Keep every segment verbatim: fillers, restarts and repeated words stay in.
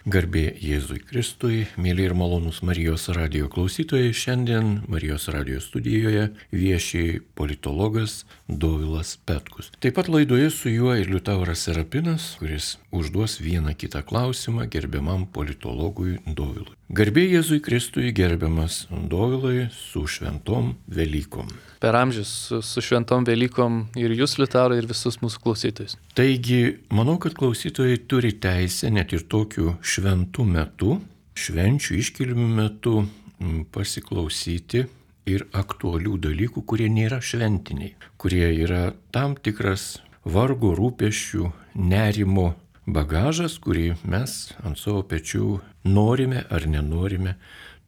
Garbė Jėzui Kristui, mėly ir malonūs Marijos radijo klausytojai, šiandien Marijos radijo studijoje vieši politologas Dovilas Petkus. Taip pat laidoje su juo ir Liutauras Serapinas, kuris užduos vieną kitą klausimą gerbiamam politologui Dovilui. Garbė Jėzui Kristui, gerbiamas Dovilai, su šventom Velykom. Per amžius su, su šventom Velykom ir jūs, Liutaurai, ir visus mūsų klausytojus. Taigi, manau, kad klausytojai turi teisę net ir tokiu šventų metu, švenčių iškilmių metu pasiklausyti ir aktualių dalykų, kurie nėra šventiniai, kurie yra tam tikras vargo, rūpesčių, nerimo bagažas, kurį mes ant savo pečių norime ar nenorime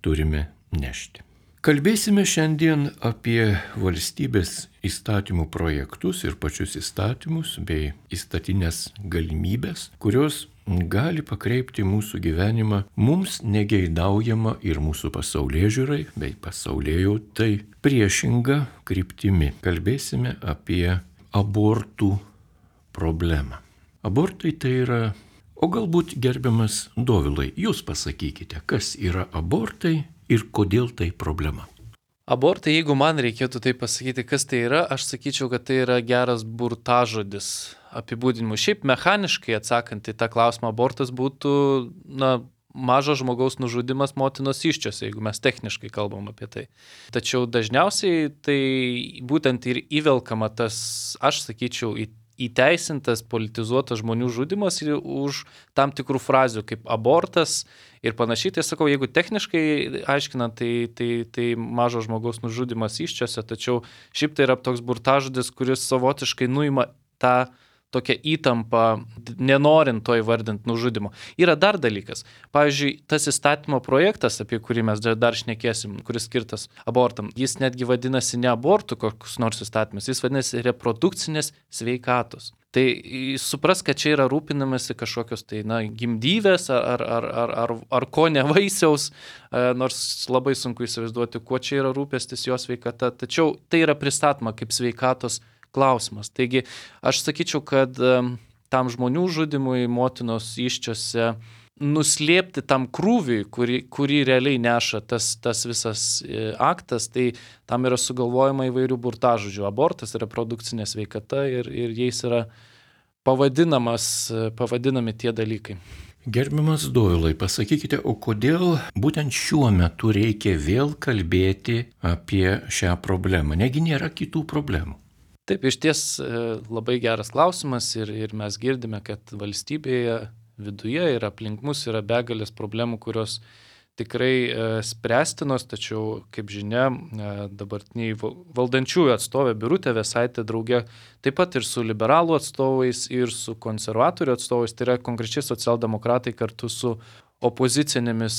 turime nešti. Kalbėsime šiandien apie valstybės įstatymų projektus ir pačius įstatymus bei įstatinės galimybės, kurios gali pakreipti mūsų gyvenimą mums negeidaujama ir mūsų pasaulėžiūrai bei pasaulėjautai priešinga kryptimi. Kalbėsime apie abortų problemą. Abortai tai yra, o galbūt gerbiamas Dovilai, jūs pasakykite, kas yra abortai ir kodėl tai problema. Abortai, jeigu man reikėtų tai pasakyti, kas tai yra, aš sakyčiau, kad tai yra geras burtažodis apibūdinimu. Šiaip mechaniškai atsakant į tą klausimą, abortas būtų, na, mažo žmogaus nužudimas motinos įsčiose, jeigu mes techniškai kalbam apie tai. Tačiau dažniausiai tai būtent ir įvelkama tas, aš sakyčiau, į įteisintas, politizuotas žmonių žudimas už tam tikrų frazių kaip abortas ir panašiai. Tai sakau, jeigu techniškai aiškinant, tai, tai, tai mažo žmogaus nužudimas įsčiose, tačiau šiaip tai yra toks burtažodis, kuris savotiškai nuima tą tokią įtampą, nenorint to įvardinti nužudimo. Yra dar dalykas. Pavyzdžiui, tas įstatymo projektas, apie kurį mes dar šnekėsim, kuris skirtas abortam, jis netgi vadinasi ne abortų kokius nors įstatymus, jis vadinasi reprodukcinės sveikatos. Tai supras, kad čia yra rūpinamasi kažkokios tai, na, gimdyvės ar, ar, ar, ar, ar ko ne vaisiaus, nors labai sunku įsivaizduoti, kuo čia yra rūpestis jo sveikata, tačiau tai yra pristatoma kaip sveikatos klausimas. Taigi aš sakyčiau, kad tam žmonių žudimui motinos įsčiose nuslėpti tam krūviui, kurį, kurį realiai neša tas, tas visas aktas, tai tam yra sugalvojama įvairių burtažodžių. Abortas, reprodukcinė sveikata ir, ir jais yra pavadinamas, pavadinami tie dalykai. Gerbiamas Dovilai, pasakykite, o kodėl būtent šiuo metu reikia vėl kalbėti apie šią problemą? Negi nėra kitų problemų? Taip, iš ties labai geras klausimas ir, ir mes girdime, kad valstybėje viduje ir aplink mus yra begalės problemų, kurios tikrai spręstinos, tačiau, kaip žinia, dabartiniai valdančiųjų atstovė Birutė Vėsaitė drauge taip pat ir su liberalų atstovais ir su konservatorių atstovais, tai yra konkrečiai socialdemokratai kartu su opozicinėmis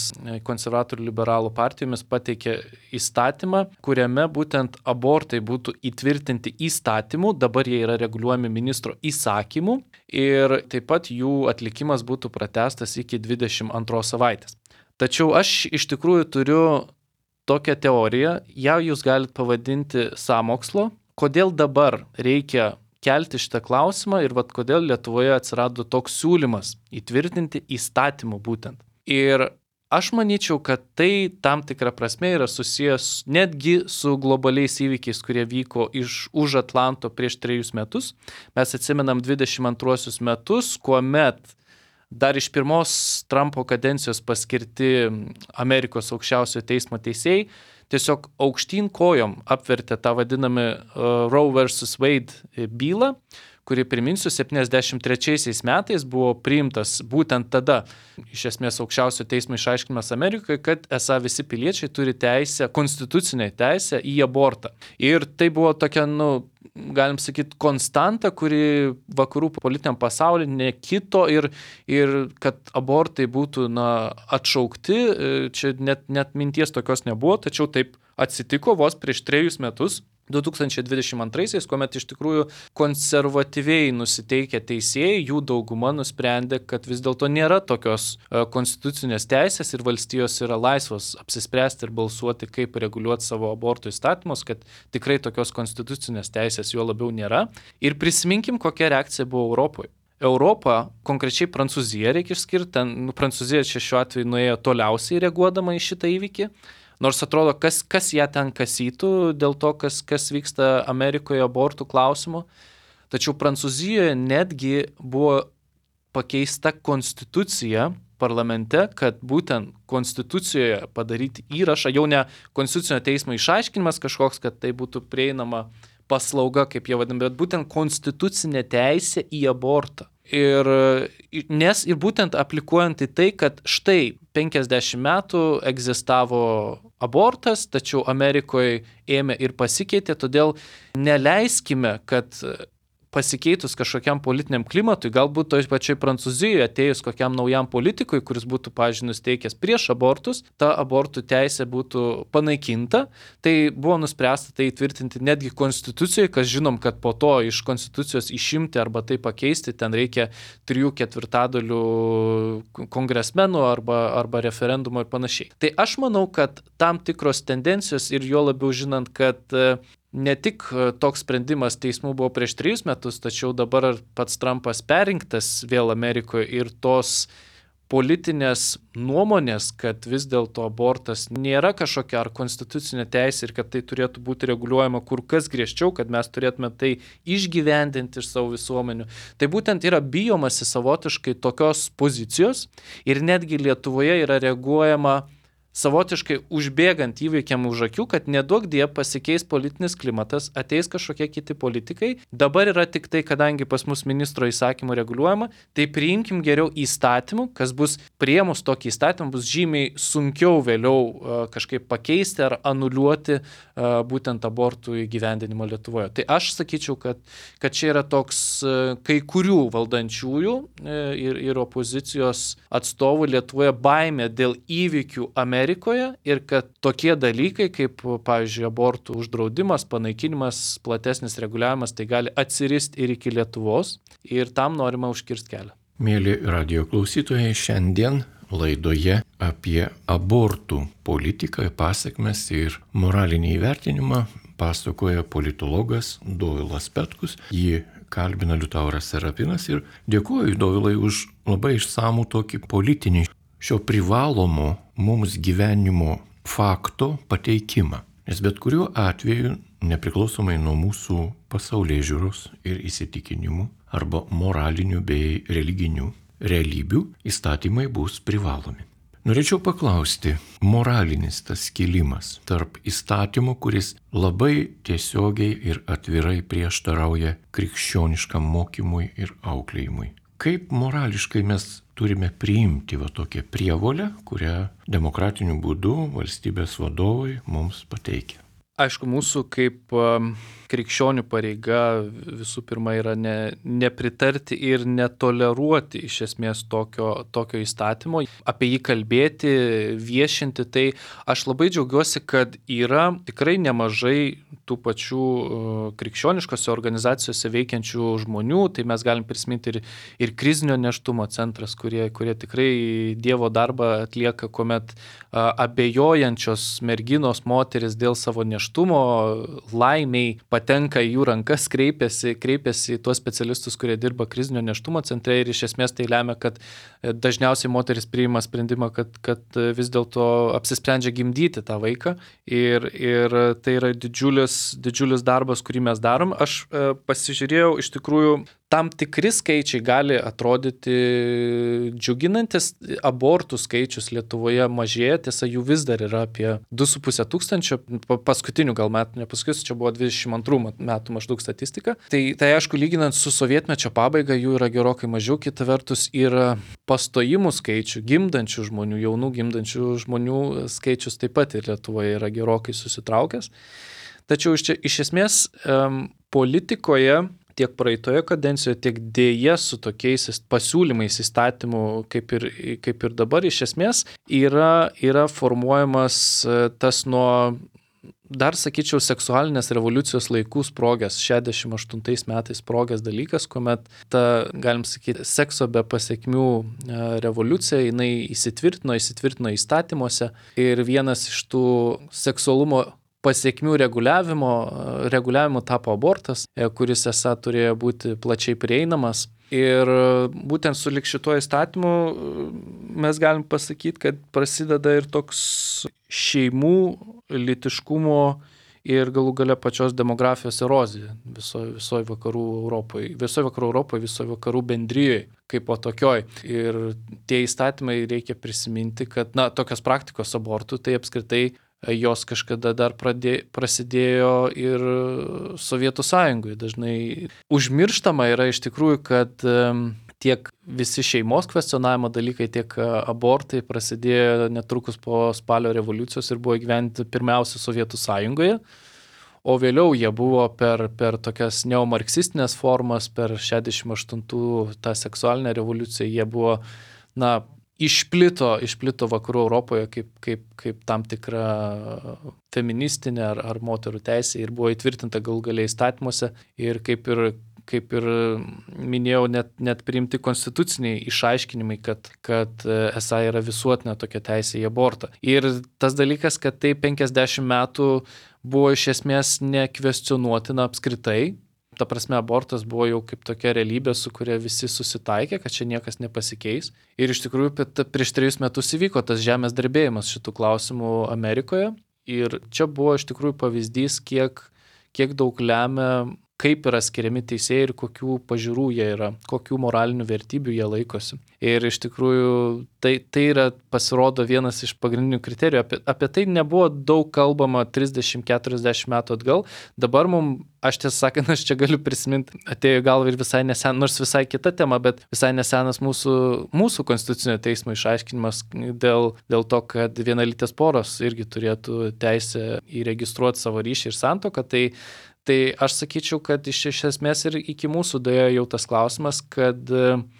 konservatorių liberalų partijomis pateikė įstatymą, kuriame būtent abortai būtų įtvirtinti įstatymų, dabar jie yra reguliuojami ministro įsakymu ir taip pat jų atlikimas būtų pratęstas iki dvidešimt antros savaitės. Tačiau aš iš tikrųjų turiu tokią teoriją, ją jūs galite pavadinti sąmokslo, kodėl dabar reikia kelti šitą klausimą ir vat kodėl Lietuvoje atsirado toks siūlymas įtvirtinti įstatymų būtent. Ir aš manyčiau, kad tai tam tikrą prasme yra susijęs netgi su globaliais įvykiais, kurie vyko iš už Atlanto prieš trejus metus. Mes atsimenam dvidešimt antruosius metus, kuomet dar iš pirmos Trumpo kadencijos paskirti Amerikos aukščiausiojo teismo teisėjai tiesiog aukštyn kojom apvertė tą vadinamą uh, Roe versus Wade bylą, kuri, priminsiu, septyniasdešimt trečiaisiais metais buvo priimtas būtent tada, iš esmės aukščiausio teismo išaiškinimas Amerikoje, kad esą visi piliečiai turi teisę, konstitucinę teisę į abortą. Ir tai buvo tokia, nu, galim sakyti, konstanta, kuri vakarų politiniam pasaulyje nekito ir, ir kad abortai būtų, na, atšaukti, čia net, net minties tokios nebuvo, tačiau taip atsitiko vos prieš trejus metus. du tūkstančiai dvidešimt antraisiais, kuomet iš tikrųjų konservatyviai nusiteikę teisėjai, jų dauguma nusprendė, kad vis dėlto nėra tokios konstitucinės teisės ir valstijos yra laisvos apsispręsti ir balsuoti, kaip reguliuoti savo abortų įstatymus, kad tikrai tokios konstitucinės teisės juo labiau nėra. Ir prisiminkim, kokia reakcija buvo Europoje. Europą, konkrečiai Prancūziją reikia išskirti, ten nu, Prancūzija čia šiuo atveju nuėjo toliausiai reaguodama į šitą įvykį, nors atrodo, kas, kas ją ten kasytų dėl to, kas, kas vyksta Amerikoje abortų klausimu. Tačiau Prancūzijoje netgi buvo pakeista konstitucija parlamente, kad būtent konstitucijoje padaryti įrašą, jau ne konstitucinio teismo išaiškinimas kažkoks, kad tai būtų prieinama paslauga, kaip jie vadina, bet būtent konstitucinė teisė į abortą. Ir, nes ir būtent aplikuojant į tai, kad štai penkiasdešimt metų egzistavo abortas, tačiau Amerikoje ėmė ir pasikeitė, todėl neleiskime, kad pasikeitus kažkokiam politiniam klimatui, galbūt toj pačiai Prancūzijoje atėjus kokiam naujam politikui, kuris būtų, pavyzdžiui, nusteikęs prieš abortus, ta abortų teisė būtų panaikinta. Tai buvo nuspręsta tai įtvirtinti netgi konstitucijoje, kas žinom, kad po to iš konstitucijos išimti arba tai pakeisti, ten reikia trijų ketvirtadalių kongresmenų arba, arba referendumo ir panašiai. Tai aš manau, kad tam tikros tendencijos ir jo labiau žinant, kad ne tik toks sprendimas teismų buvo prieš trejus metus, tačiau dabar pats Trumpas perrinktas vėl Amerikoje ir tos politinės nuomonės, kad vis dėlto abortas nėra kažkokia ar konstitucinė teisė ir kad tai turėtų būti reguliuojama kur kas griežčiau, kad mes turėtume tai išgyvendinti iš savo visuomenių. Tai būtent yra bijomasi savotiškai tokios pozicijos ir netgi Lietuvoje yra reaguojama savotiškai užbėgant įvykiam už akių, kad neduok die pasikeis politinis klimatas, ateis kažkokie kiti politikai. Dabar yra tik tai, kadangi pas mus ministro įsakymų reguliuojama, tai priimkim geriau įstatymų, kas bus priėmus tokį įstatymą, bus žymiai sunkiau vėliau uh, kažkaip pakeisti ar anuliuoti uh, būtent abortų įgyvendinimo Lietuvoje. Tai aš sakyčiau, kad, kad čia yra toks uh, kai kurių valdančiųjų uh, ir, ir opozicijos atstovų Lietuvoje baimė dėl įvykių Amerikoje. Amerikoje ir kad tokie dalykai kaip, pavyzdžiui, abortų uždraudimas, panaikinimas, platesnis reguliavimas, tai gali atsiristi ir iki Lietuvos ir tam norima užkirsti kelią. Mėly radijo klausytojai, šiandien laidoje apie abortų politiką, pasekmes ir moralinį įvertinimą pasakoja politologas Dovilas Petkus. Jį kalbina Liutauras Serapinas ir dėkuoju Dovilai už labai išsamų tokį politinį šio privalomo mums gyvenimo fakto pateikimą. Nes bet kuriuo atveju, nepriklausomai nuo mūsų pasaulėžiūros ir įsitikinimų arba moralinių bei religinių realybių, įstatymai bus privalomi. Norėčiau paklausti, moralinis tas skilimas tarp įstatymo, kuris labai tiesiogiai ir atvirai prieštarauja krikščioniškam mokymui ir auklėjimui. Kaip morališkai mes turime priimti va tokią prievolę, kurią demokratiniu būdu valstybės vadovai mums pateikia? Aišku, mūsų kaip um, krikščionių pareiga visų pirma yra ne, nepritarti ir netoleruoti iš esmės tokio, tokio įstatymo, apie jį kalbėti, viešinti. Tai aš labai džiaugiuosi, kad yra tikrai nemažai tų pačių uh, krikščioniškose organizacijose veikiančių žmonių. Tai mes galim prisiminti ir, ir krizinio nėštumo centras, kurie, kurie tikrai Dievo darbą atlieka, kuomet uh, abejojančios merginos, moteris dėl savo nėštumo laimiai patenka į jų rankas, kreipiasi, kreipiasi į tuos specialistus, kurie dirba krizinio nėštumo centre ir iš esmės tai lemia, kad dažniausiai moteris priima sprendimą, kad, kad vis dėlto apsisprendžia gimdyti tą vaiką ir, ir tai yra didžiulis, didžiulis darbas, kurį mes darom. Aš e, pasižiūrėjau, iš tikrųjų, tam tikri skaičiai gali atrodyti džiuginantis. Abortų skaičius Lietuvoje mažėja, tiesa, jų vis dar yra apie du su puse tūkstančio, paskutinių gal metų, nepasakysiu, čia buvo dvidešimt antrų metų maždaug statistika. Tai, tai aišku, lyginant su sovietmečio pabaiga, jų yra gerokai mažiau, kita vertus yra pastojimų skaičių, gimdančių žmonių, jaunų gimdančių žmonių skaičius taip pat ir Lietuvoje yra gerokai susitraukęs. Tačiau iš, čia, iš esmės um, politikoje tiek praeitoje kadencijoje, tiek dėja su tokiais pasiūlymais įstatymų, kaip ir, kaip ir dabar, iš esmės yra, yra formuojamas tas nuo, dar sakyčiau, seksualinės revoliucijos laikų sprogęs, šešiasdešimt aštuntais metais sprogęs dalykas, kuomet ta, galim sakyti, sekso be pasekmių revoliucija, jinai įsitvirtino, įsitvirtino įstatymuose ir vienas iš tų seksualumo pasiekmių reguliavimo, reguliavimo tapo abortas, kuris esą turėjo būti plačiai prieinamas. Ir būtent su lik šituo įstatymu mes galim pasakyti, kad prasideda ir toks šeimų, lytiškumo ir galų gale pačios demografijos erozija visoje viso vakarų Europoje, visoje vakarų Europoje, visoje vakarų bendrijoje kaip po tokioj. Ir tie įstatymai reikia prisiminti, kad na, tokios praktikos abortų, tai apskritai jos kažkada dar pradė, prasidėjo ir Sovietų Sąjungoje. Dažnai užmirštama yra iš tikrųjų, kad tiek visi šeimos kvestionavimo dalykai, tiek abortai prasidėjo netrukus po spalio revoliucijos ir buvo įgyvendinti pirmiausia Sovietų Sąjungoje, o vėliau jie buvo per, per tokias neomarksistinės formas, per šešiasdešimt aštuntų tą seksualinę revoliuciją, jie buvo, na, išplito, išplito vakarų Europoje kaip, kaip, kaip tam tikra feministinė ar, ar moterų teisė ir buvo įtvirtinta galų galiai įstatymuose ir kaip ir, kaip ir minėjau, net, net priimti konstituciniai išaiškinimai, kad, kad esą yra visuotinė tokia teisė į abortą. Ir tas dalykas, kad tai penkiasdešimt metų buvo iš esmės nekvestionuotina apskritai. Ta prasme, abortas buvo jau kaip tokia realybė, su kuria visi susitaikė, kad čia niekas nepasikeis. Ir iš tikrųjų prieš trejus metus įvyko tas žemės drebėjimas šitų klausimų Amerikoje. Ir čia buvo iš tikrųjų pavyzdys, kiek, kiek daug lemia, kaip yra skiriami teisėjai ir kokių pažiūrų jie yra, kokių moralinių vertybių jie laikosi. Ir iš tikrųjų tai, tai yra, pasirodo, vienas iš pagrindinių kriterijų. Apie, apie tai nebuvo daug kalbama trisdešimt keturiasdešimt metų atgal. Dabar mums, aš tiesą sakant, aš čia galiu prisiminti, atėjo į galvą ir visai nesen, nors visai kita tema, bet visai nesenas mūsų, mūsų konstitucinio teismo išaiškinimas dėl, dėl to, kad vienalytės poros irgi turėtų teisę įregistruoti savo ryšį ir santuoką. Tai Tai aš sakyčiau, kad iš, iš esmės ir iki mūsų daėjo jau tas klausimas, kad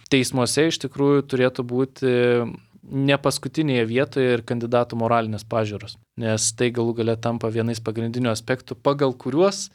teismuose iš tikrųjų turėtų būti ne paskutinėje vietoje ir kandidatų moralinės pažiūros, nes tai galų gale tampa vienais pagrindinių aspektų, pagal kuriuos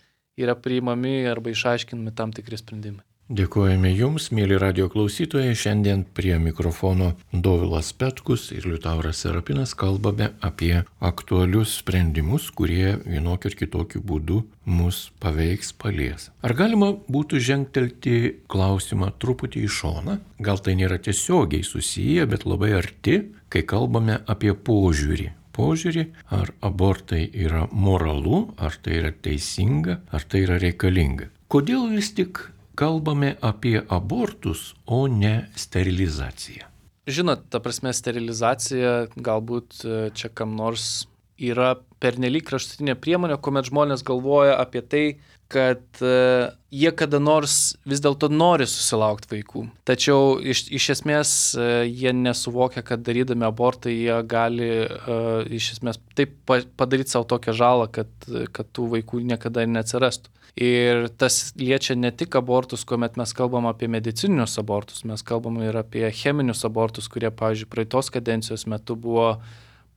yra priimami arba išaiškinami tam tikri sprendimai. Dėkojame Jums, mėly radio klausytojai. Šiandien prie mikrofono Dovilas Petkus ir Liutauras Serapinas kalbame apie aktualius sprendimus, kurie vienokiu ir kitokiu būdu mus paveiks, palies. Ar galima būtų žengtelti klausimą truputį į šoną? Gal tai nėra tiesiogiai susiję, bet labai arti, kai kalbame apie požiūrį. Požiūrį, ar abortai yra moralu, ar tai yra teisinga, ar tai yra reikalinga. Kodėl vis tik kalbame apie abortus, o ne sterilizaciją? Žinot, ta prasme, sterilizacija galbūt čia kam nors yra pernelyg kraštutinė priemonė, kuomet žmonės galvoja apie tai, kad uh, jie kada nors vis dėlto nori susilaukti vaikų. Tačiau iš, iš esmės uh, jie nesuvokia, kad darydami abortą jie gali uh, iš esmės taip padaryti savo tokią žalą, kad, kad tų vaikų niekada neatsirastų. Ir tas liečia ne tik abortus, kuomet mes kalbam apie medicininius abortus, mes kalbam ir apie cheminius abortus, kurie, pavyzdžiui, praeitos kadencijos metu buvo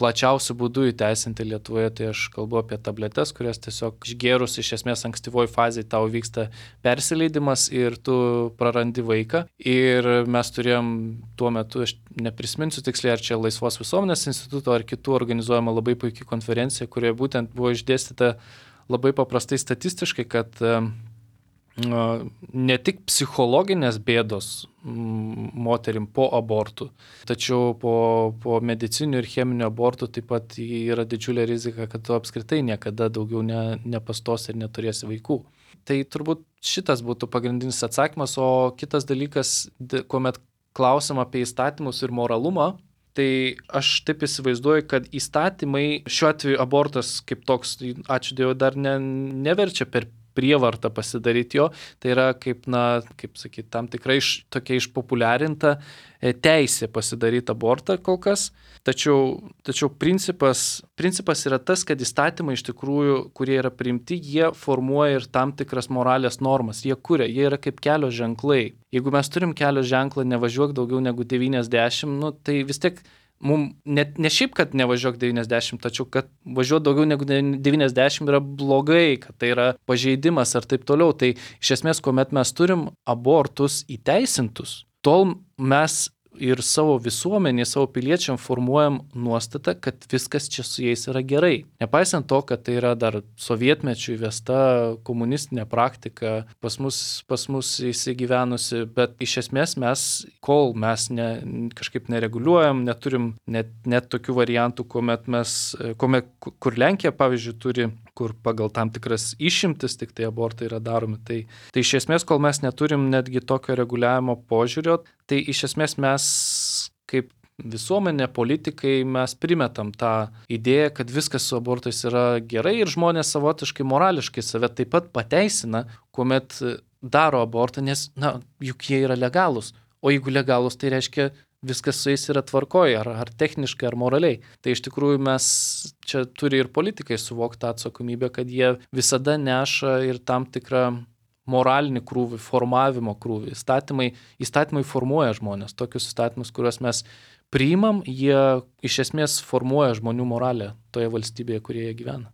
plačiausių būdų įteisinti Lietuvoje. Tai aš kalbu apie tabletes, kurias tiesiog išgėrus iš esmės ankstyvoj fazėje tau vyksta persileidimas ir tu prarandi vaiką. Ir mes turėjom tuo metu, aš neprisiminsiu tiksliai, ar čia Laisvos visuomenės instituto ar kitų organizuojama labai puikiai konferencija, kurioje būtent buvo išdėstyta labai paprastai statistiškai, kad ne tik psichologinės bėdos moterim po abortų, tačiau po, po medicinių ir cheminių abortų taip pat yra didžiulė rizika, kad tu apskritai niekada daugiau ne, nepastos ir neturėsi vaikų. Tai turbūt šitas būtų pagrindinis atsakymas, o kitas dalykas, kuomet klausim apie įstatymus ir moralumą, tai aš taip įsivaizduoju, kad įstatymai, šiuo atveju abortas kaip toks, ačiū Dievui, dar ne, neverčia per prievartą pasidaryti jo, tai yra kaip, na, kaip sakyti, tam tikrai iš, tokia išpopuliarinta teisė pasidaryti abortą kol kas. Tačiau, tačiau principas, principas yra tas, kad įstatymai iš tikrųjų, kurie yra priimti, jie formuoja ir tam tikras moralės normas, jie kuria, jie yra kaip kelio ženklai. Jeigu mes turim kelio ženklą nevažiuok daugiau negu devyniasdešimt, nu, tai vis tiek mums ne, ne šiaip, kad nevažiuok devyniasdešimt, tačiau kad važiuoti daugiau negu devyniasdešimt yra blogai, kad tai yra pažeidimas ar taip toliau. Tai iš esmės, kuomet mes turim abortus įteisintus, tol mes ir savo visuomenį, savo piliečiam formuojam nuostatą, kad viskas čia su jais yra gerai. Nepaisant to, kad tai yra dar sovietmečių įvesta komunistinė praktika, pas mus, pas mus įsigyvenusi, bet iš esmės mes, kol mes ne, kažkaip nereguliuojam, neturim net, net tokių variantų, kuomet mes, kuomet, kur Lenkija, pavyzdžiui, turi, kur pagal tam tikras išimtis tik tai abortai yra daromi. Tai, tai iš esmės, kol mes neturim netgi tokio reguliavimo požiūrio, tai iš esmės mes kaip visuomenė, politikai, mes primetam tą idėją, kad viskas su abortais yra gerai ir žmonės savotiškai morališkai save taip pat pateisina, kuomet daro abortą, nes, na, juk jie yra legalūs. O jeigu legalūs, tai reiškia, viskas su jais yra tvarkoje, ar, ar techniškai, ar moraliai. Tai iš tikrųjų mes čia turi ir politikai suvokti tą atsakomybę, kad jie visada neša ir tam tikrą moralinį krūvį, formavimo krūvį. Įstatymai, įstatymai formuoja žmonės. Tokius įstatymus, kuriuos mes priimam, jie iš esmės formuoja žmonių moralę toje valstybėje, kurioje jie gyvena.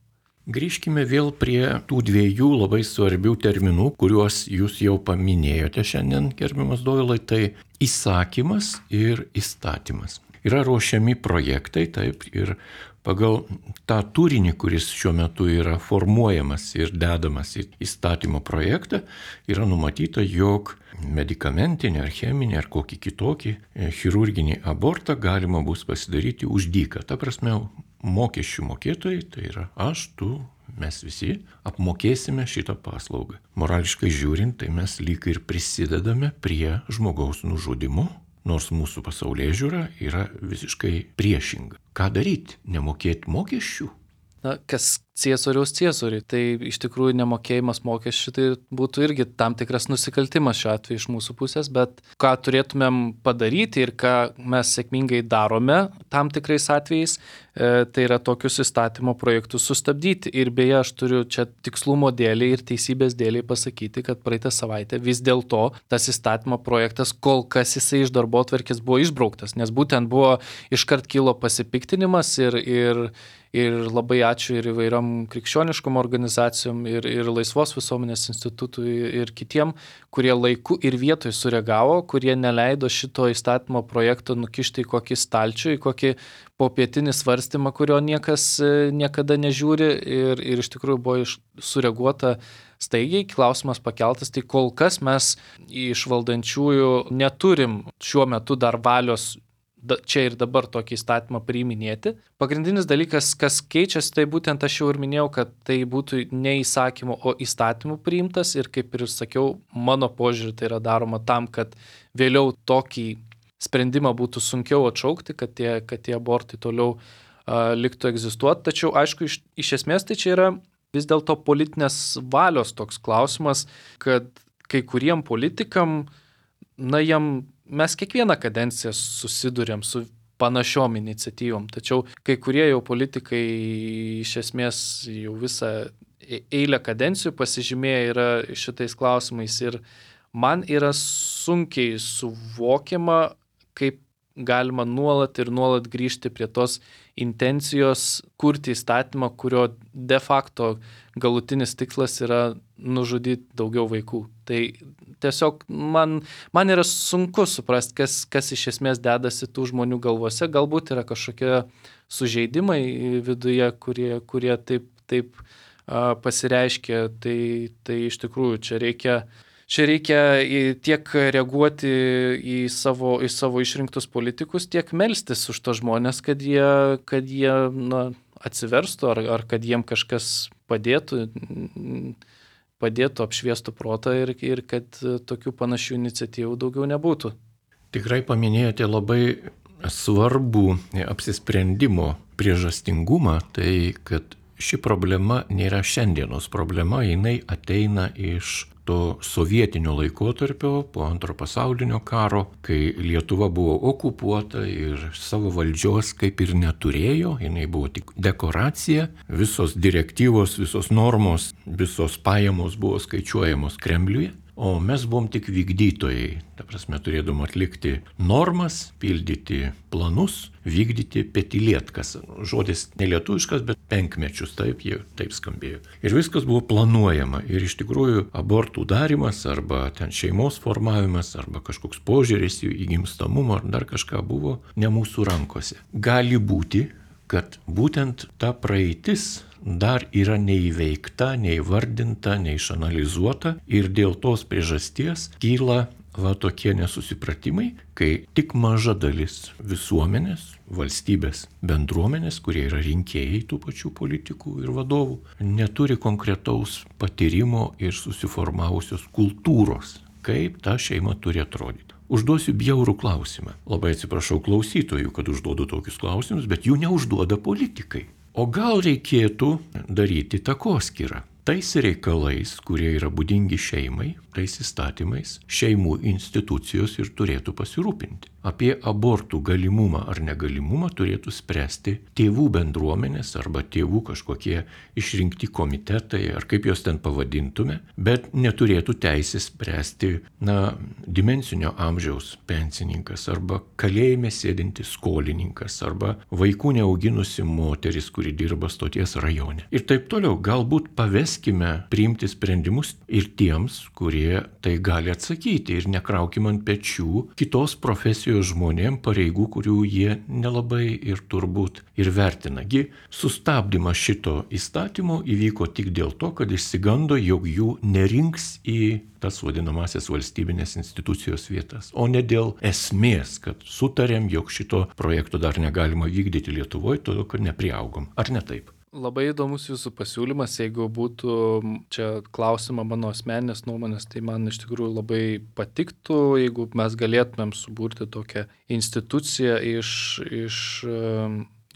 Grįžkime vėl prie tų dviejų labai svarbių terminų, kuriuos jūs jau paminėjote šiandien, gerbiamas Dovilai, tai įsakymas ir įstatymas. Yra ruošiami projektai, taip, ir pagal tą turinį, kuris šiuo metu yra formuojamas ir dedamas į įstatymo projektą, yra numatyta, jog medikamentinį ar cheminį ar kokį kitokį chirurginį abortą galima bus pasidaryti už dyką. Ta prasme, mokesčių mokėtojai, tai yra aš, tu, mes visi apmokėsime šitą paslaugą. Morališkai žiūrint, tai mes lyg ir prisidedame prie žmogaus nužudimo, nors mūsų pasaulėžiūra yra visiškai priešinga. Ką daryti? Nemokėti mokesčių? Na, kas ciesoriaus ciesoriui, tai iš tikrųjų nemokėjimas mokesčių tai būtų irgi tam tikras nusikaltimas šiuo atveju iš mūsų pusės, bet ką turėtumėm padaryti ir ką mes sėkmingai darome tam tikrais atvejais, e, tai yra tokius įstatymo projektus sustabdyti. Ir beje, aš turiu čia tikslumo dėliai ir teisybės dėliai pasakyti, kad praeitą savaitę vis dėlto tas įstatymo projektas, kol kas jisai iš darbotvarkės buvo išbrauktas, nes būtent buvo iškart kilo pasipiktinimas ir, ir Ir labai ačiū ir įvairiom krikščioniškom organizacijom ir, ir laisvos visuomenės institutui ir kitiem, kurie laiku ir vietoj sureagavo, kurie neleido šito įstatymo projekto nukišti į kokį stalčių, į kokį popietinį svarstymą, kurio niekas niekada nežiūri ir, ir iš tikrųjų buvo iš, sureaguota staigiai, klausimas pakeltas, tai kol kas mes iš valdančiųjų neturim šiuo metu dar valios čia ir dabar tokį įstatymą priiminėti. Pagrindinis dalykas, kas keičiasi, tai būtent aš jau ir minėjau, kad tai būtų ne įsakymu, o įstatymu priimtas ir kaip ir sakiau, mano požiūrį tai yra daroma tam, kad vėliau tokį sprendimą būtų sunkiau atšaukti, kad tie, kad tie abortai toliau uh, liktų egzistuoti. Tačiau, aišku, iš, iš esmės tai čia yra vis dėlto politinės valios toks klausimas, kad kai kuriem politikam, na, jam mes kiekvieną kadenciją susidurėm su panašiom iniciatyvom, tačiau kai kurie jau politikai iš esmės jau visą eilę kadencijų pasižymėję yra šitais klausimais ir man yra sunkiai suvokiama, kaip galima nuolat ir nuolat grįžti prie tos intencijos kurti įstatymą, kurio de facto galutinis tikslas yra nužudyti daugiau vaikų. Tai tiesiog man, man yra sunku suprasti, kas, kas iš esmės dedasi tų žmonių galvose. Galbūt yra kažkokie sužeidimai viduje, kurie, kurie taip, taip uh, pasireiškia. Tai, tai iš tikrųjų čia reikia Čia reikia tiek reaguoti į savo, į savo išrinktus politikus, tiek melstis už tos žmonės, kad jie, kad jie na, atsiverstų ar, ar kad jiem kažkas padėtų, padėtų apšviestų protą ir, ir kad tokių panašių iniciatyvų daugiau nebūtų. Tikrai paminėjote labai svarbų apsisprendimo priežastingumą, tai kad ši problema nėra šiandienos problema, jinai ateina iš to sovietinio laikotarpio po antro pasaulinio karo, kai Lietuva buvo okupuota ir savo valdžios kaip ir neturėjo, jinai buvo tik dekoracija, visos direktyvos, visos normos, visos pajamos buvo skaičiuojamos Kremliuje. o mes buvom tik vykdytojai. Ta prasme, turėdom atlikti normas, pildyti planus, vykdyti petilietkas. Žodis nelietuviškas, bet penkmečius, taip, jie taip skambėjo. Ir viskas buvo planuojama. Ir iš tikrųjų abortų darimas arba ten šeimos formavimas arba kažkoks požiūris į gimstamumą ar dar kažką buvo ne mūsų rankose. Gali būti, kad būtent ta praeitis dar yra neįveikta, neįvardinta, neišanalizuota ir dėl tos priežasties kyla va tokie nesusipratimai, kai tik maža dalis visuomenės, valstybės, bendruomenės, kurie yra rinkėjai tų pačių politikų ir vadovų, neturi konkretaus patyrimo ir susiformavusios kultūros, kaip ta šeima turi atrodyti. Užduosiu bjaurų klausimą. Labai atsiprašau klausytojų, kad užduodu tokius klausimus, bet jų neužduoda politikai. O gal reikėtų daryti takoskyrą? Tais reikalais, kurie yra būdingi šeimai, tais įstatymais, šeimų institucijos ir turėtų pasirūpinti. Apie abortų galimumą ar negalimumą turėtų spręsti tėvų bendruomenės arba tėvų kažkokie išrinkti komitetai, ar kaip juos ten pavadintume, bet neturėtų teisės spręsti, na, dimensinio amžiaus pensininkas arba kalėjime sėdintis skolininkas arba vaikų neauginusi moteris, kuri dirba stoties rajone. Ir taip toliau, galbūt paveskime priimti sprendimus ir tiems, kurie tai gali atsakyti ir nekraukim ant pečių kitos profesijos žmonėm pareigų, kurių jie nelabai ir turbūt ir vertina. Gi sustabdymas šito įstatymo įvyko tik dėl to, kad išsigando, jog jų nerinks į tas vadinamasias valstybinės institucijos vietas, o ne dėl esmės, kad sutarėm, jog šito projekto dar negalima vykdyti Lietuvoje, todėl kad nepriaugom. Ar ne taip? Labai įdomus jūsų pasiūlymas, jeigu būtų čia klausima mano asmeninės nuomonės, tai man iš tikrųjų labai patiktų, jeigu mes galėtumėm suburti tokią instituciją iš, iš,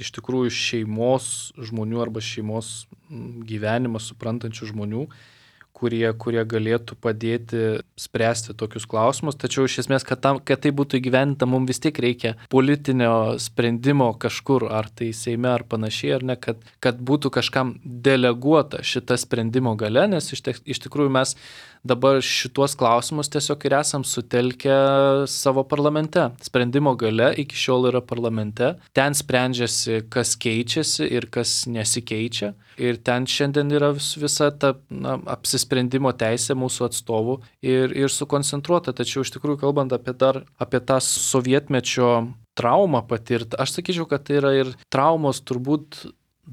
iš tikrųjų šeimos žmonių arba šeimos gyvenimą suprantančių žmonių, kurie, kurie galėtų padėti spręsti tokius klausimus, tačiau iš esmės, kad, tam, kad tai būtų įgyvendinta, mums vis tiek reikia politinio sprendimo kažkur, ar tai Seime, ar panašiai, ar ne, kad, kad būtų kažkam deleguota šita sprendimo galia, nes iš, te, iš tikrųjų mes dabar šituos klausimus tiesiog ir esam sutelkę savo parlamente. Sprendimo galia iki šiol yra parlamente, ten sprendžiasi, kas keičiasi ir kas nesikeičia, ir ten šiandien yra vis, visa ta na, apsisprendimo teisė mūsų atstovų ir, ir sukoncentruota. Tačiau iš tikrųjų kalbant apie, dar, apie tą sovietmečio traumą patirtą, aš sakyčiau, kad tai yra ir traumos turbūt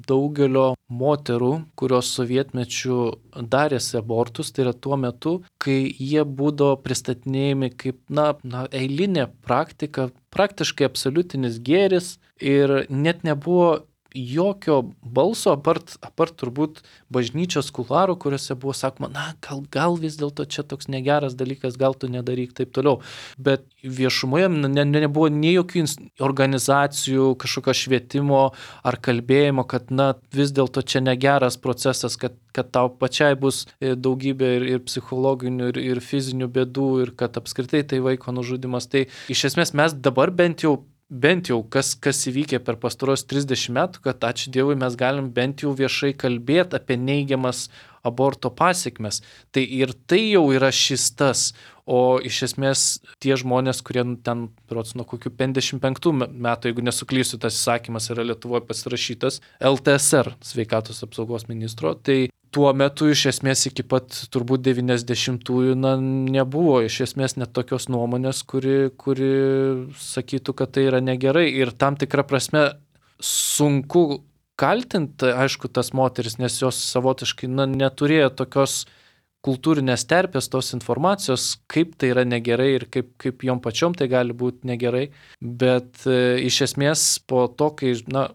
daugelio moterų, kurios sovietmečiu darėsi abortus, tai yra tuo metu, kai jie būdavo pristatinėjami kaip na, na, eilinė praktika, praktiškai absoliutinis gėris ir net nebuvo jokio balso, apart, apart turbūt bažnyčios kularų, kuriuose buvo sakoma, na, gal, gal vis dėlto čia toks negeras dalykas, gal tu nedaryk taip toliau. Bet viešumoje ne, ne, nebuvo nei jokių organizacijų, kažkokio švietimo ar kalbėjimo, kad, na, vis dėlto čia negeras procesas, kad, kad tau pačiai bus daugybė ir, ir psichologinių, ir, ir fizinių bėdų, ir kad apskritai tai vaiko nužudymas. Tai iš esmės mes dabar bent jau Bent jau, kas, kas įvykė per pastaros trisdešimt metų, kad ačiū Dievui mes galim bent jau viešai kalbėti apie neigiamas aborto pasiekmes. Tai ir tai jau yra šis tas, o iš esmės tie žmonės, kurie ten, rods, nuo kokių penkiasdešimt penktų metų, jeigu nesuklysiu, tas įsakymas yra Lietuvoje pasirašytas L T S R, sveikatos apsaugos ministro, tai tuo metu iš esmės iki pat turbūt devyniasdešimtųjų na, nebuvo iš esmės net tokios nuomonės, kuri, kuri sakytų, kad tai yra negerai. Ir tam tikrą prasme sunku kaltinti, aišku, tas moteris, nes jos savotiškai na, neturėjo tokios kultūrinės terpės, tos informacijos, kaip tai yra negerai ir kaip, kaip jom pačiom tai gali būti negerai. Bet e, iš esmės po to, kai na,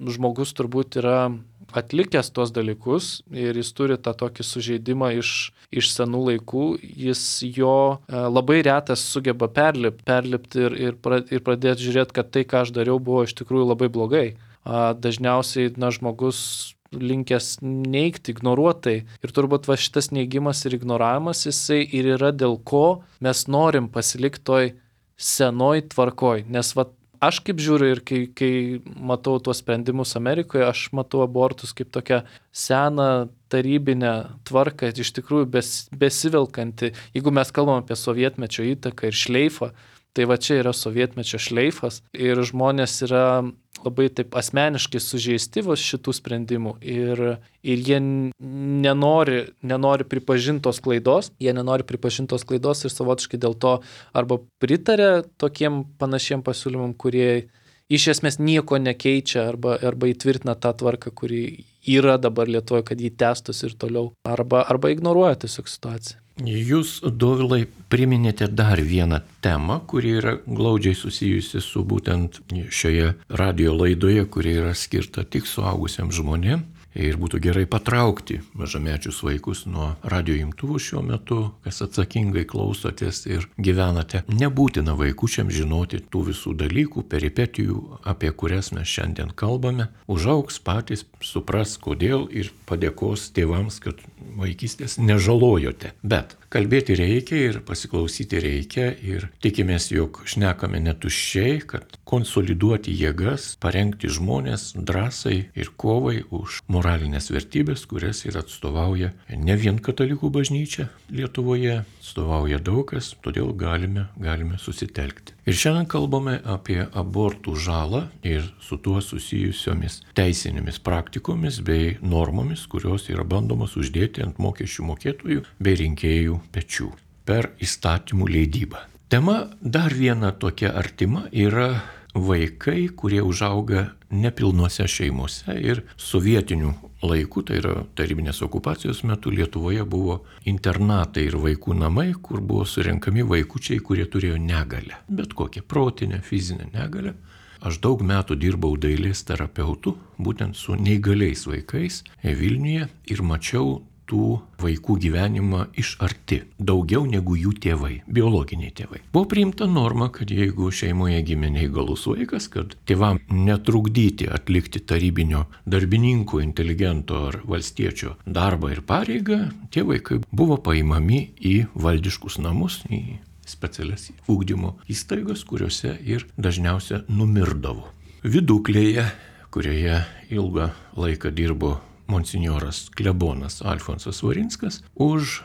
žmogus turbūt yra atlikęs tos dalykus ir jis turi tą tokį sužeidimą iš, iš senų laikų, jis jo e, labai retas sugeba perlipti, perlipti ir, ir, pra, ir pradėti žiūrėti, kad tai, ką aš dariau, buvo iš tikrųjų labai blogai. A, dažniausiai na, žmogus linkęs neigti, ignoruotai. Ir turbūt va šitas neigimas ir ignoravimas, jisai ir yra dėl ko mes norim pasilikti toj senoj tvarkoj. Nes va aš kaip žiūriu ir kai, kai matau tuos sprendimus Amerikoje, aš matau abortus kaip tokią seną tarybinę tvarką, iš tikrųjų bes, besivelkanti. Jeigu mes kalbam apie sovietmečio įtaką ir šleifą, tai va čia yra sovietmečio šleifas ir žmonės yra labai taip asmeniškai sužeisti vos šitų sprendimų ir, ir jie nenori, nenori pripažinti tos klaidos, jie nenori pripažinti tos klaidos ir savotiškai dėl to arba pritarė tokiem panašiem pasiūlymam, kurie iš esmės nieko nekeičia arba, arba įtvirtina tą tvarką, kuri yra dabar Lietuvoje, kad jį tęstus ir toliau, arba, arba ignoruoja tiesiog situaciją. Jūs, Dovilai, priminėte dar vieną temą, kuri yra glaudžiai susijusi su būtent šioje radio laidoje, kuri yra skirta tik suaugusiam žmonėm. Ir būtų gerai patraukti mažamečius vaikus nuo radio imtuvų šiuo metu, kas atsakingai klausotės ir gyvenate. Nebūtina vaikučiam žinoti tų visų dalykų, peripetijų, apie kurias mes šiandien kalbame. Užaugs patys, supras kodėl ir padėkos tėvams, kad vaikystės nežalojote. Bet kalbėti reikia ir pasiklausyti reikia ir tikimės, jog šnekame netuščiai, kad konsoliduoti jėgas, parengti žmonės drąsai ir kovai už moralinės vertybės, kurias ir atstovauja ne vien katalikų bažnyčia Lietuvoje, atstovauja daug kas, todėl galime, galime susitelkti. Ir šiandien kalbame apie abortų žalą ir su tuo susijusiomis teisinėmis praktikomis bei normomis, kurios yra bandomos uždėti ant mokesčių mokėtojų bei rinkėjų pečių per įstatymų leidybą. Tema dar viena tokia artima yra vaikai, kurie užauga nepilnuose šeimose ir sovietinių laikų, tai yra tarybinės okupacijos metu Lietuvoje buvo internatai ir vaikų namai, kur buvo surenkami vaikučiai, kurie turėjo negalią, bet kokią protinę, fizinę negalią. Aš daug metų dirbau dailės terapeutu, būtent su neįgaliais vaikais Vilniuje ir mačiau tų vaikų gyvenimą iš arti, daugiau negu jų tėvai, biologiniai tėvai. Buvo priimta norma, kad jeigu šeimoje gimė neįgalus vaikas, kad tėvam netrukdyti atlikti tarybinio darbininko, inteligento ar valstiečio darbą ir pareigą, tie vaikai buvo paimami į valdiškus namus, į specialias ugdymo įstaigas, kuriuose ir dažniausiai numirdavo. Viduklėje, kurioje ilgą laiką dirbo monsinjoras klebonas Alfonsas Varinskas, už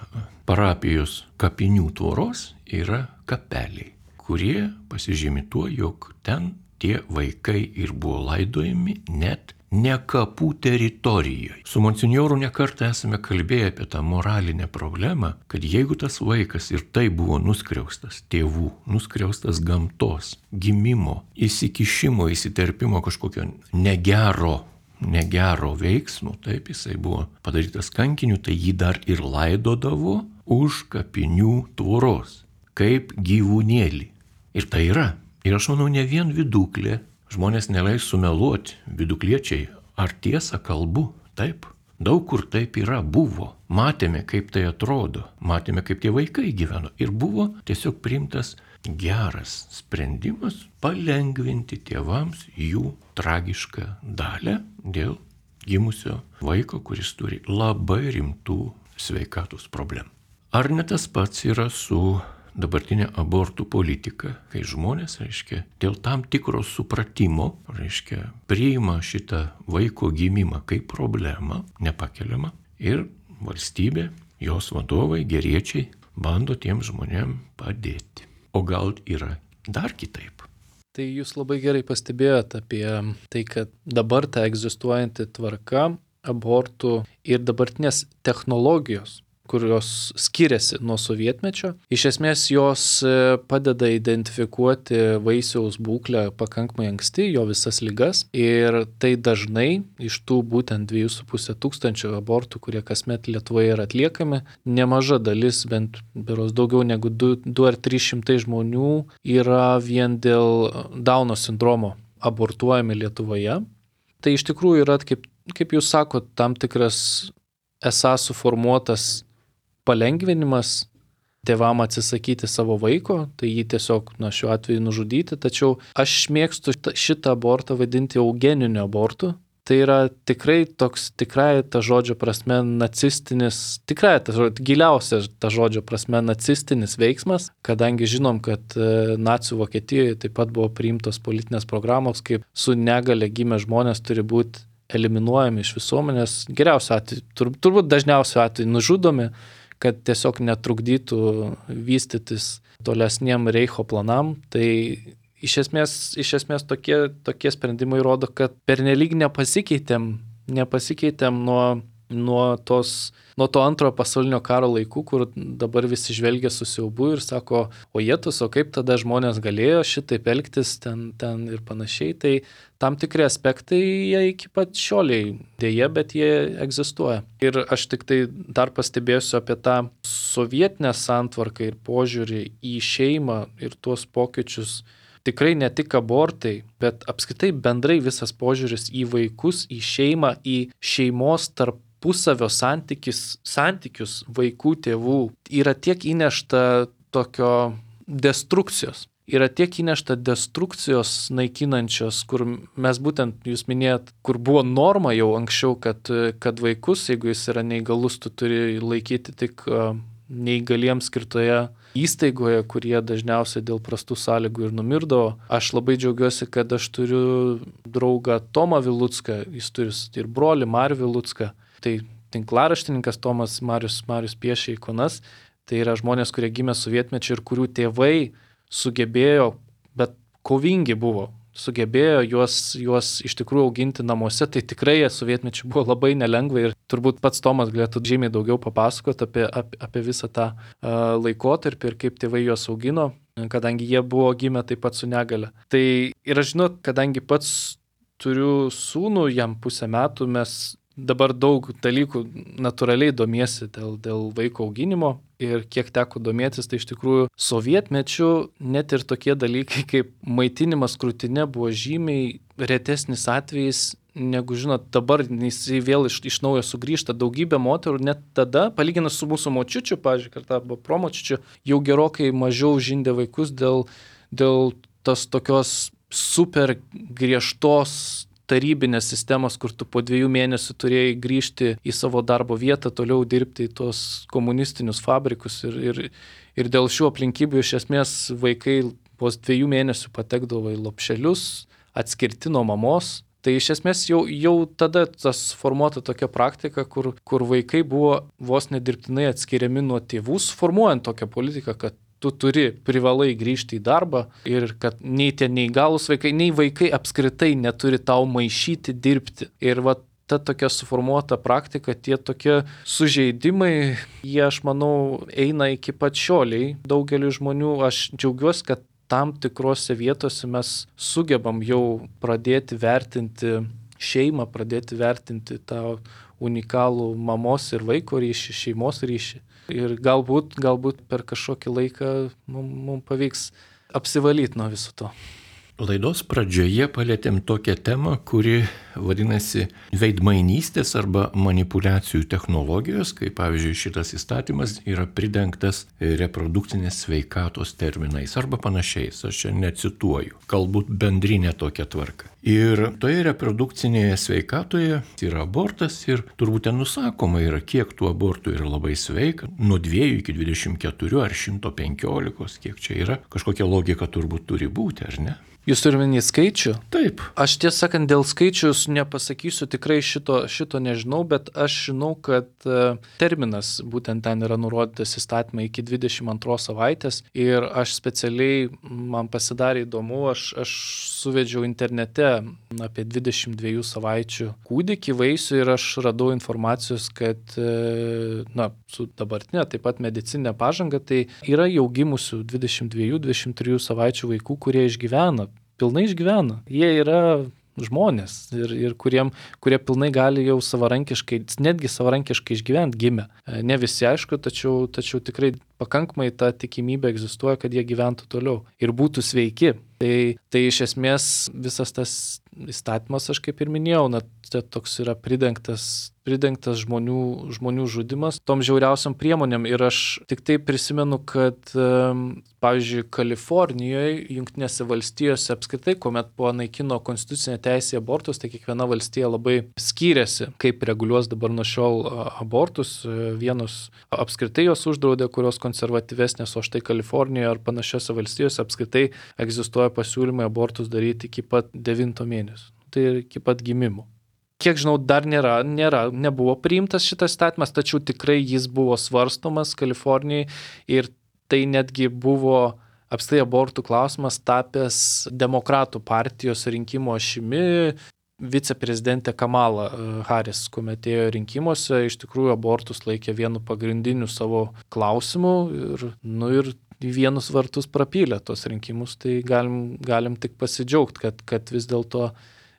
parapijos kapinių tvoros yra kapeliai, kurie pasižymi tuo, jog ten tie vaikai ir buvo laidojami net ne kapų teritorijoje. Su monsinjoru nekartą esame kalbėję apie tą moralinę problemą, kad jeigu tas vaikas ir tai buvo nuskriaustas tėvų, nuskriaustas gamtos, gimimo, įsikišimo, įsiterpimo kažkokio negero, negero veiksmo, taip jisai buvo padarytas kankiniu, tai jį dar ir laidodavo už kapinių tvoros, kaip gyvūnėlį. Ir tai yra. Ir aš manau, ne vien viduklė, žmonės neleis sumeluoti, vidukliečiai, ar tiesą kalbu, taip. Daug kur taip yra, buvo. Matėme, kaip tai atrodo, matėme, kaip tie vaikai gyveno. Ir buvo tiesiog priimtas geras sprendimas palengvinti tėvams jų tragišką dalią dėl gimusio vaiko, kuris turi labai rimtų sveikatos problemų. Ar ne tas pats yra su dabartinė abortų politika, kai žmonės, reiškia, dėl tam tikro supratimo, reiškia, priima šitą vaiko gimimą kaip problemą, nepakeliamą, ir valstybė, jos vadovai, geriečiai, bando tiem žmonėm padėti. O gal yra dar kitaip? Tai jūs labai gerai pastebėjote apie tai, kad dabar ta egzistuojanti tvarka abortų ir dabartinės technologijos, kurios skiriasi nuo sovietmečio. Iš esmės jos padeda identifikuoti vaisiaus būklę pakankamai anksti, jo visas ligas. Ir tai dažnai iš tų būtent dviejų su puse tūkstančio abortų, kurie kasmet Lietuvoje yra atliekami, nemaža dalis, bent beros daugiau negu du ar trys šimtai žmonių yra vien dėl Dauno sindromo abortuojami Lietuvoje. Tai iš tikrųjų yra, kaip, kaip jūs sakot, tam tikras esą suformuotas palengvinimas tėvam atsisakyti savo vaiko, tai jį tiesiog, na, šiuo atveju nužudyti, tačiau aš mėgstu šitą abortą vadinti eugeniniu abortu, tai yra tikrai toks, tikrai ta žodžio prasme nacistinis, tikrai ta žodžio, giliausia ta žodžio prasme nacistinis veiksmas, kadangi žinom, kad nacių Vokietijoje taip pat buvo priimtos politinės programos, kaip su negale gimę žmonės turi būti eliminuojami iš visuomenės, geriausiu atveju, tur, turbūt dažniausiu atveju nužudomi, kad tiesiog netrukdytų vystytis tolesniem Reicho planam. Tai iš esmės, iš esmės tokie, tokie sprendimai rodo, kad pernelyg nepasikeitėm, nepasikeitėm nuo, nuo, tos, nuo to antrojo pasaulinio karo laikų, kur dabar visi žvelgia su siaubu ir sako, o jėtus, o kaip tada žmonės galėjo šitaip elgtis ten, ten ir panašiai. Tai tam tikri aspektai jie iki pat šioliai dėja, bet jie egzistuoja. Ir aš tik tai dar pastebėsiu apie tą sovietinę santvarką ir požiūrį į šeimą ir tuos pokyčius. Tikrai ne tik abortai, bet apskritai bendrai visas požiūris į vaikus, į šeimą, į šeimos tarpusavio santykius, santykius vaikų, tėvų. Yra tiek įnešta tokio destrukcijos. Yra tiek įnešta destrukcijos naikinančios, kur mes būtent, jūs minėjot, kur buvo norma jau anksčiau, kad, kad vaikus, jeigu jis yra neįgalus, tu turi laikyti tik neįgaliems skirtoje įstaigoje, kurie dažniausiai dėl prastų sąlygų ir numirdavo. Aš labai džiaugiuosi, kad aš turiu draugą Tomą Vilucką, jis turi ir brolį Marių Vilucką. Tai tinklaraštininkas Tomas Marius, Marius piešia ikonas. Tai yra žmonės, kurie gimė sovietmečiu ir kurių tėvai sugebėjo, bet kovingi buvo, sugebėjo juos, juos iš tikrųjų auginti namuose, tai tikrai sovietmečiu buvo labai nelengva ir turbūt pats Tomas galėtų žymiai daugiau papasakoti apie, apie, apie visą tą uh, laikotarpį ir kaip tėvai juos augino, kadangi jie buvo gimę taip pat su negale. Tai ir aš žinau, kadangi pats turiu sūnų, jam pusę metų, mes dabar daug dalykų natūraliai domiesi dėl, dėl vaiko auginimo ir kiek teko domėtis, tai iš tikrųjų sovietmečiu net ir tokie dalykai kaip maitinimas krūtine buvo žymiai retesnis atvejis, negu žinot, dabar jis vėl iš, iš naujo sugrįžta. Daugybė moterų net tada, palyginus su mūsų močiučiu, pavyzdžiui, kartą arba promočiučiu, jau gerokai mažiau žindė vaikus dėl, dėl tos tokios super griežtos tarybinės sistemos, kur tu po dviejų mėnesių turėjai grįžti į savo darbo vietą, toliau dirbti į tos komunistinius fabrikus ir, ir, ir dėl šių aplinkybių iš esmės vaikai po dviejų mėnesių patekdavo į lopšelius, atskirti nuo mamos. Tai iš esmės jau, jau tada tas formuota tokia praktika, kur, kur vaikai buvo vos nedirbtinai atskiriami nuo tėvų, formuojant tokią politiką, kad tu turi privalai grįžti į darbą ir kad nei tie neįgalūs vaikai, nei vaikai apskritai neturi tau maišyti dirbti. Ir va ta tokia suformuota praktika, tie tokie sužeidimai, jie, aš manau, eina iki pat šioliai. Daugeliu žmonių aš džiaugiuosi, kad tam tikrose vietose mes sugebam jau pradėti vertinti šeimą, pradėti vertinti tą unikalų mamos ir vaiko ryšį, šeimos ryšį. Ir galbūt, galbūt per kažkokį laiką mums mum pavyks apsivalyti nuo viso to. Laidos pradžioje palėtėm tokią temą, kuri vadinasi veidmainystės arba manipulacijų technologijos, kai pavyzdžiui šitas įstatymas yra pridengtas reprodukcinės sveikatos terminais arba panašiais. Aš čia necituoju, galbūt bendrinė tokia tvarka. Ir toje reprodukcinėje sveikatoje yra abortas ir turbūt ten nusakoma yra, kiek tų abortų yra labai sveika, nuo dviejų iki dvidešimt keturių ar šimto penkiolikos, kiek čia yra. Kažkokia logika turbūt turi būti, ar ne? Jūs turime į skaičių? Taip. Aš tiesą sakant, dėl skaičius nepasakysiu, tikrai šito, šito nežinau, bet aš žinau, kad terminas būtent ten yra nurodytas įstatymai iki dvidešimt antros savaitės ir aš specialiai, man pasidarė įdomu, aš, aš suvedžiau internete apie dvidešimt dviejų savaičių kūdikį, vaisių ir aš radau informacijos, kad na, su dabartinė taip pat medicinė pažanga, tai yra jau gimusių dvidešimt dviejų dvidešimt trijų savaičių vaikų, kurie išgyvena. Pilnai išgyvena. Jie yra žmonės ir, ir kuriem, kurie pilnai gali jau savarankiškai, netgi savarankiškai išgyventi gimę. Ne visi aišku, tačiau, tačiau tikrai pakankamai ta tikimybė egzistuoja, kad jie gyventų toliau ir būtų sveiki. Tai, tai iš esmės visas tas įstatymas, aš kaip ir minėjau, na, toks yra pridengtas pridengtas žmonių, žmonių žudimas tom žiauriausiam priemonėm. Ir aš tik tai prisimenu, kad, pavyzdžiui, Kalifornijoje, Jungtinėse valstijose apskritai, kuomet buvo naikino konstitucinė teisė abortus, tai kiekviena valstija labai skyrėsi, kaip reguliuos dabar nuo šiol abortus. Vienos apskritai jos uždraudė, kurios konservatyvesnės, o štai Kalifornijoje ar panašiose valstijose apskritai egzistuoja pasiūlymai abortus daryti iki pat devinto mėnesio. Tai iki pat gimimo. Kiek žinau, dar nėra, nėra, nebuvo priimtas šitas įstatymas, tačiau tikrai jis buvo svarstomas Kalifornijai ir tai netgi buvo apskritai abortų klausimas tapęs demokratų partijos rinkimo ašimi. Viceprezidentė Kamala Harris, kuomet ėjo rinkimuose, iš tikrųjų abortus laikė vienu pagrindiniu savo klausimu ir, nu, ir vienus vartus prapylė tos rinkimus, tai galim, galim tik pasidžiaugti, kad, kad vis dėlto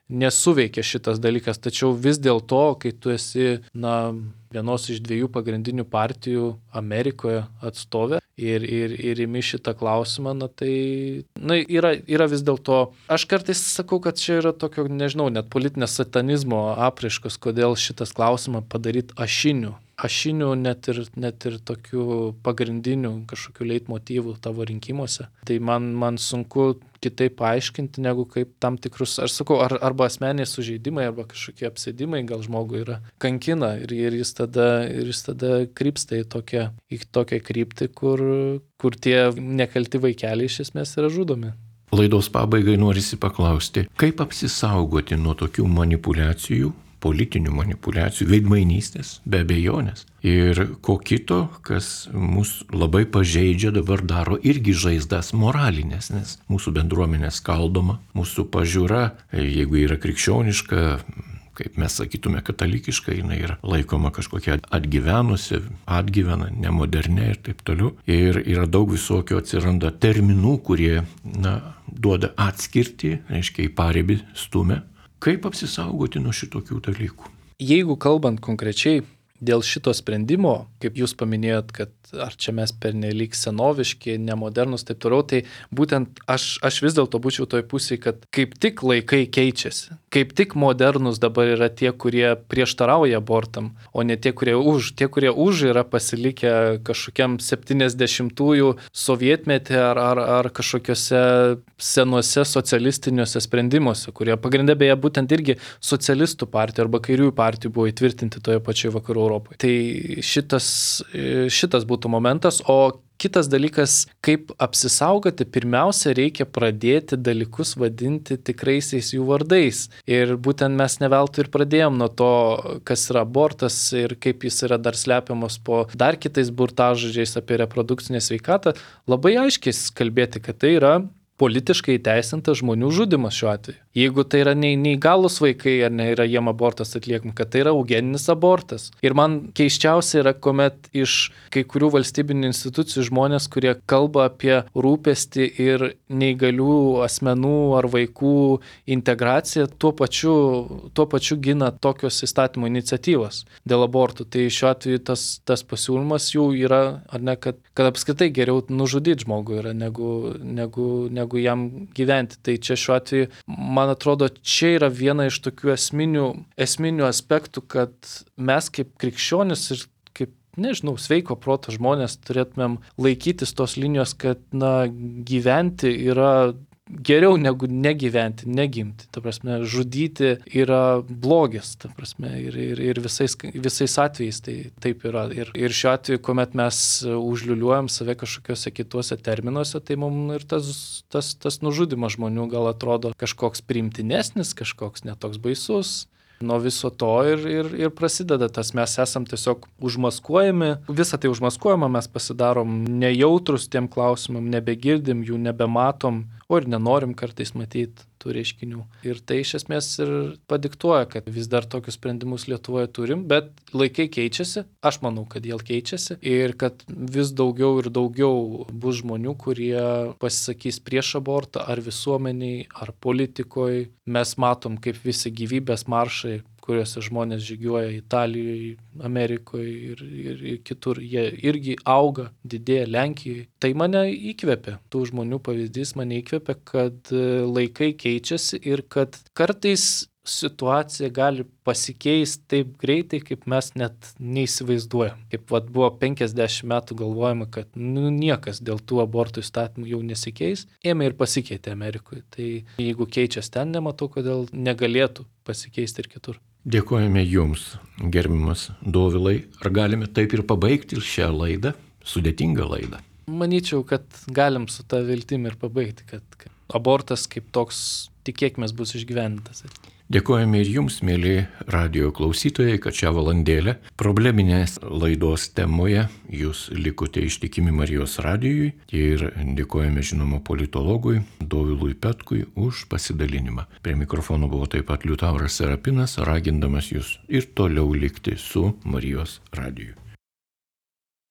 nesuveikia šitas dalykas, tačiau vis dėlto, kai tu esi, na, vienos iš dviejų pagrindinių partijų Amerikoje atstovė ir, ir, ir imi šitą klausimą, na tai, na, yra, yra vis dėlto, aš kartais sakau, kad čia yra tokio, nežinau, net politinės satanizmo apraiškos, kodėl šitas klausimą padaryti ašiniu. Ašinių, net ir, net ir tokių pagrindinių kažkokių leitmotyvų tavo rinkimuose. Tai man, man sunku kitaip paaiškinti, negu kaip tam tikrus, aš sakau, ar, arba asmeniai sužeidimai, arba kažkokie apsėdimai gal žmogui yra kankina ir, ir, jis, tada, ir jis tada krypsta į tokią, į tokią kryptį, kur, kur tie nekalti vaikeliai iš esmės yra žudomi. Laidos pabaigai norisi paklausti, kaip apsisaugoti nuo tokių manipulacijų, politinių manipulacijų, veidmainystės, be abejonės. Ir ko kito, kas mus labai pažeidžia, dabar daro irgi žaizdas moralinės, nes mūsų bendruomenė skaldoma, mūsų pažiūra, jeigu yra krikščioniška, kaip mes sakytume katalikiška, jinai yra laikoma kažkokia atgyvenusi, atgyvena, nemodernė ir taip toliau. Ir yra daug visokio atsiranda terminų, kurie, na, duoda atskirtį, reiškia į paribį stumia. Kaip apsisaugoti nuo šitokių dalykų? Jeigu kalbant konkrečiai dėl šito sprendimo, kaip jūs paminėjot, kad ar čia mes pernelyg senoviški, nemodernus, taip toliau, tai būtent aš, aš vis dėlto būčiau toj pusėje, kad kaip tik laikai keičiasi. Kaip tik modernus dabar yra tie, kurie prieštarauja abortam, o ne tie, kurie už. Tie, kurie už yra pasilikę kažkokiam septyniasdešimtųjų sovietmetį ar, ar, ar kažkokiuose senuose socialistiniuose sprendimuose, kurie pagrindė beje būtent irgi socialistų partijų arba kairiųjų partijų buvo įtvirtinti toje pačioje vakarų Europoje. Tai šitas, šitas būtų momentas, o kitas dalykas, kaip apsisaugoti, pirmiausia, reikia pradėti dalykus vadinti tikraisiais jų vardais. Ir būtent mes ne veltui ir pradėjom nuo to, kas yra abortas ir kaip jis yra dar slepiamas po dar kitais burtažodžiais apie reprodukcinę sveikatą, labai aiškiai kalbėti, kad tai yra politiškai įteisintas žmonių žudimas šiuo atveju. Jeigu tai yra neįgalus vaikai ar ne yra jiem abortas atliekama, kad tai yra eugeninis abortas. Ir man keiščiausia yra, kuomet iš kai kurių valstybinių institucijų žmonės, kurie kalba apie rūpestį ir neįgalių asmenų ar vaikų integraciją, tuo pačiu, tuo pačiu gina tokios įstatymų iniciatyvos dėl abortų. Tai šiuo atveju tas, tas pasiūlymas jų yra, ar ne, kad, kad apskritai geriau nužudyti žmogų yra, negu, negu, negu negu jam gyventi. Tai čia šiuo atveju, man atrodo, čia yra viena iš tokių esminių, esminių aspektų, kad mes kaip krikščionis ir kaip, nežinau, sveiko proto žmonės turėtumėm laikytis tos linijos, kad, na, gyventi yra geriau negu negyventi, negimti. Ta prasme, žudyti yra blogis, ta prasme, ir, ir, ir visais, visais atvejais tai taip yra. Ir, ir šiuo atveju, kuomet mes užliuliuojam save kažkokiuose kituose terminuose, tai mums ir tas, tas, tas nužudimas žmonių gal atrodo kažkoks priimtinesnis, kažkoks netoks baisus. Nuo viso to ir, ir, ir prasideda tas, mes esam tiesiog užmaskuojami, visą tai užmaskuojama, mes pasidarom nejautrus tiem klausimam, nebegirdim jų, nebematom, o ir nenorim kartais matyti tų reiškinių. Ir tai iš esmės ir padiktuoja, kad vis dar tokius sprendimus Lietuvoje turim, bet laikai keičiasi, aš manau, kad jie keičiasi ir kad vis daugiau ir daugiau bus žmonių, kurie pasisakys prieš abortą ar visuomeniai, ar politikoje. Mes matom, kaip visi gyvybės maršai, kuriuose žmonės žygiuoja Italijoje, Amerikoje ir, ir, ir kitur, jie irgi auga, didėja Lenkijoje. Tai mane įkvepia, tų žmonių pavyzdys mane įkvepia, kad laikai keičiasi ir kad kartais situacija gali pasikeisti taip greitai, kaip mes net neįsivaizduojam. Kaip vat, buvo penkiasdešimt metų galvojama, kad nu, niekas dėl tų abortų įstatymų jau nesikeis, ėmė ir pasikeitė Amerikoje. Tai jeigu keičiasi ten, nematau, kodėl negalėtų pasikeisti ir kitur. Dėkojame Jums, gerbiamas Dovilai. Ar galime taip ir pabaigti šią laidą, sudėtingą laidą? Manyčiau, kad galim su tą viltim ir pabaigti, kad, kad abortas kaip toks, tikėkime, bus išgyvendintas. Dėkojame ir Jums, mėly radijo klausytojai, kad šią valandėlę probleminės laidos temoje Jūs likote ištikimi Marijos radijui ir dėkojame žinoma politologui Dovilui Petkui už pasidalinimą. Prie mikrofono buvo taip pat Liutauras Serapinas, ragindamas Jūs ir toliau likti su Marijos radiju.